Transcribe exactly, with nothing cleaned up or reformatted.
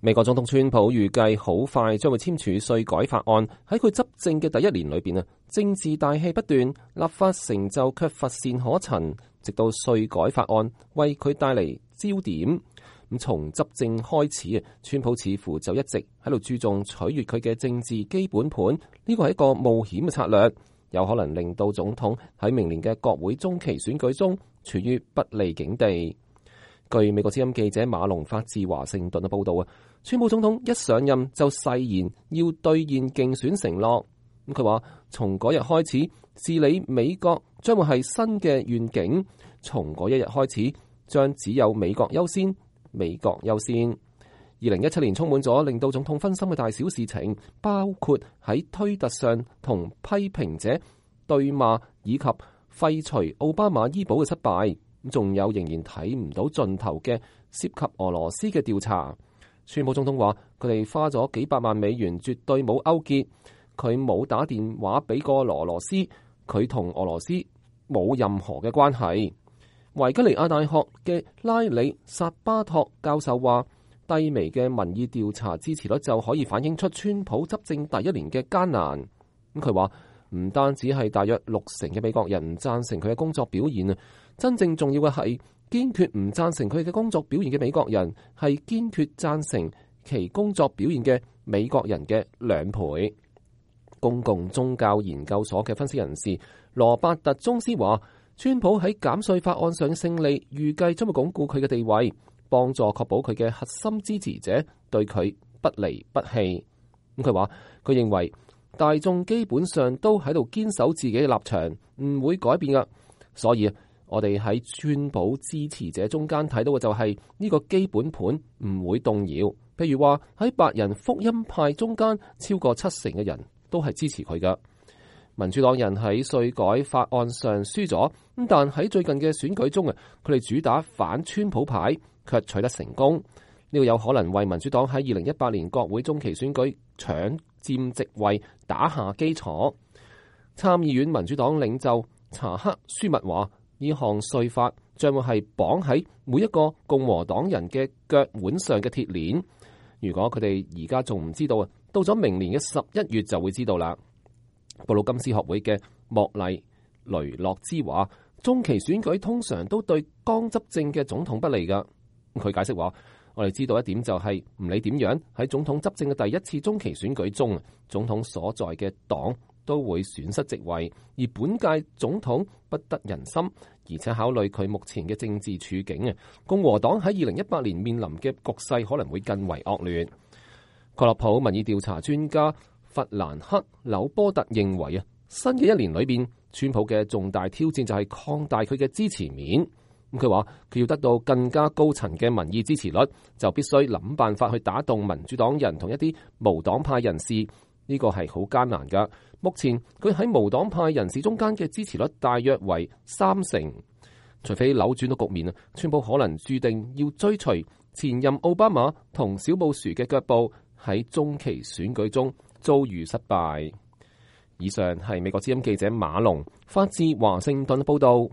美國總統川普預計好快將會簽署稅改法案，喺佢執政嘅第一年裏邊啊，政治大戲不斷，立法成就卻乏善可陳，直到稅改法案為佢帶嚟焦點。咁從執政開始啊，川普似乎就一直喺度注重取悅佢嘅政治基本盤，呢個係一個冒險嘅策略，有可能令到總統喺明年嘅國會中期選舉中處於不利境地。據美國之音記者馬龍發自華盛頓嘅報道啊，川普總統一上任就誓言要兌現競選承諾。咁佢話從嗰日開始，治理美國將會係新嘅願景，從嗰一日開始，將只有美國優先，美國優先。二零一七年充滿咗令到總統分心嘅大小事情，包括喺推特上同批評者對罵，以及廢除奧巴馬醫保嘅失敗。仲有仍然睇唔到盡頭嘅涉及俄羅斯嘅調查。川普總統話佢哋花咗幾百萬美元，絕對冇勾結，佢冇打電話俾過俄羅斯，佢同俄羅斯冇任何嘅關係。維吉尼亞大學嘅拉里薩巴托教授話，低微嘅民意調查支持率就可以反映出川普執政第一年嘅艱難。咁佢話唔單止係大約六成嘅美國人唔贊成佢嘅工作表現啊，真正重要嘅係堅決唔贊成佢嘅工作表現嘅美國人係堅決贊成其工作表現嘅美國人嘅兩倍。公共宗教研究所嘅分析人士羅伯特宗斯話，川普喺減稅法案上嘅勝利預計將會鞏固佢嘅地位，幫助確保佢嘅核心支持者對佢不離不棄。咁佢話佢認為大眾基本上都喺度堅守自己嘅立場，唔會改變噶。所以我哋喺川普支持者中間睇到嘅就係呢個基本盤唔會動搖。譬如話喺白人福音派中間，超過七成嘅人都係支持佢噶。民主黨人喺稅改法案上輸咗，咁但喺最近嘅選舉中啊，佢哋主打反川普牌，卻取得成功。呢個有可能為民主黨喺二零一八年國會中期選舉搶佔席位打下基礎。參議院民主黨領袖查克舒密話，呢項稅法將會係綁喺每一個共和黨人嘅腳腕上嘅鐵鏈。如果佢哋而家仲唔知道啊，到咗明年嘅十一月就會知道啦。布魯金斯學會嘅莫麗雷諾茲話，中期選舉通常都對剛執政嘅總統不利噶。佢解釋話，我哋知道一點就係唔理點樣喺總統執政嘅第一次中期選舉中，總統所在嘅黨都會損失席位，而本屆總統不得人心，而且考慮佢目前嘅政治處境啊，共和黨喺二零一八年面臨嘅局勢可能會更為惡劣。蓋洛普民意調查專家弗蘭克紐波特認為啊，新嘅一年裏邊，川普嘅重大挑戰就係擴大佢嘅支持面。咁佢話佢要得到更加高層嘅民意支持率，就必須諗辦法去打動民主黨人同一啲無黨派人士。呢個係好艱難噶。目前佢喺無黨派人士中間嘅支持率大約為三成。除非扭轉到局面啊，川普可能注定要追隨前任奧巴馬同小布殊嘅腳步，喺中期選舉中遭遇失敗。以上係美國之音記者馬龍發自華盛頓報道。